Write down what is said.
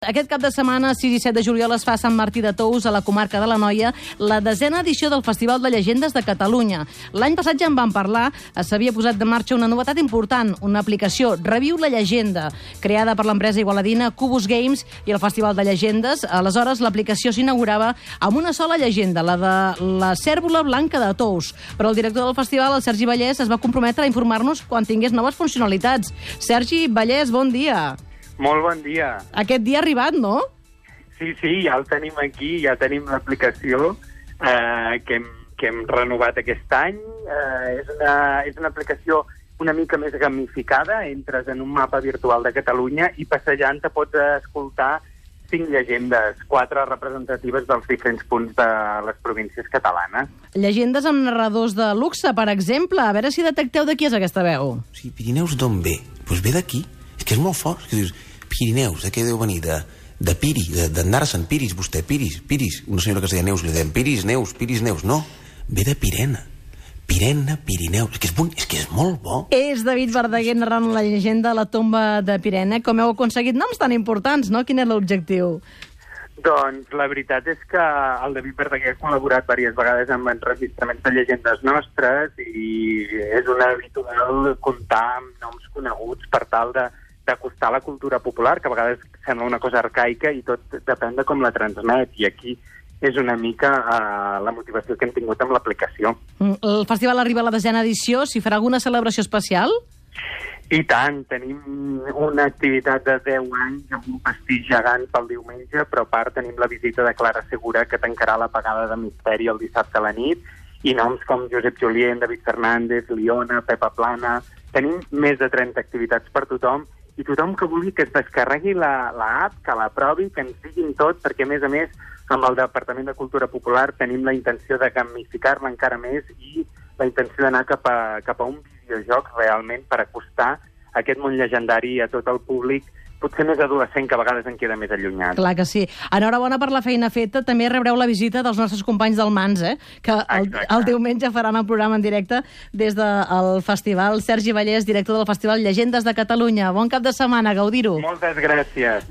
Aquest cap de setmana, 6 i 7 de juliol, es fa a Sant Martí de Tous, a la comarca de l'Anoia, la 10a edició del Festival de Llegendes de Catalunya. L'any passat ja en vam parlar, s'havia posat en marxa una novetat important, una aplicació, Reviu la Llegenda, creada per l'empresa igualadina Cubus Games i el Festival de Llegendes. Aleshores, l'aplicació s'inaugurava amb una sola llegenda, la de la cérvola blanca de Tous. Però el director del festival, el Sergi Vallès, es va comprometre a informar-nos quan tingués noves funcionalitats. Sergi Vallès, bon dia. Molt bon dia. Aquest dia ha arribat, no? Sí, ja el tenim aquí, ja tenim l'aplicació que hem renovat aquest any. És una aplicació una mica més gamificada, entres en un mapa virtual de Catalunya i passejant te pots escoltar 5 llegendes, 4 representatives dels diferents punts de les províncies catalanes. Llegendes amb narradors de luxe, per exemple. A veure si detecteu de qui és aquesta veu. Sí, Pirineus d'on ve? Doncs ve d'aquí. És que és molt fort. És que dius, Pirineus, de què deu venir? De Piri, d'anar a Sant Piris, vostè, Piris. Una senyora que es deia Neus, li deien Piris, Neus. No, ve de Pirena. Pirineus. És que és molt bo. És David Verdaguer narrant la llegenda a la tomba de Pirena. Com heu aconseguit noms tan importants, no? Quin és l'objectiu? Doncs la veritat és que el David Verdaguer ha col·laborat diverses vegades amb enregistraments de llegendes nostres i és una habitual comptar amb noms coneguts per tal d'acostar la cultura popular, que a vegades sembla una cosa arcaica i tot depèn de com la transmet. I aquí és una mica la motivació que hem tingut amb l'aplicació. El festival arriba a la 10a edició. S'hi farà alguna celebració especial? I tant, tenim una activitat de 10 anys amb un pastís gegant pel diumenge, però a part tenim la visita de Clara Segura, que tancarà la pagada de misteri el dissabte a la nit, i noms com Josep Julien, David Fernández, Liona, Pepa Plana. Tenim més de 30 activitats per tothom, i tothom que vulgui que es descarregui l'app, que la provi, que ens diguin tot, perquè a més, amb el Departament de Cultura Popular tenim la intenció de gamificar-la encara més i la intenció d'anar cap a un videojoc realment per acostar aquest món llegendari a tot el públic, potser més adolescent, que a vegades en queda més allunyat. Clar que sí. Enhorabona per la feina feta. També rebreu la visita dels nostres companys del Mans, que el diumenge faran el programa en directe des del festival. Sergi Vallès, director del Festival Llegendes de Catalunya. Bon cap de setmana, gaudir-ho. Moltes gràcies.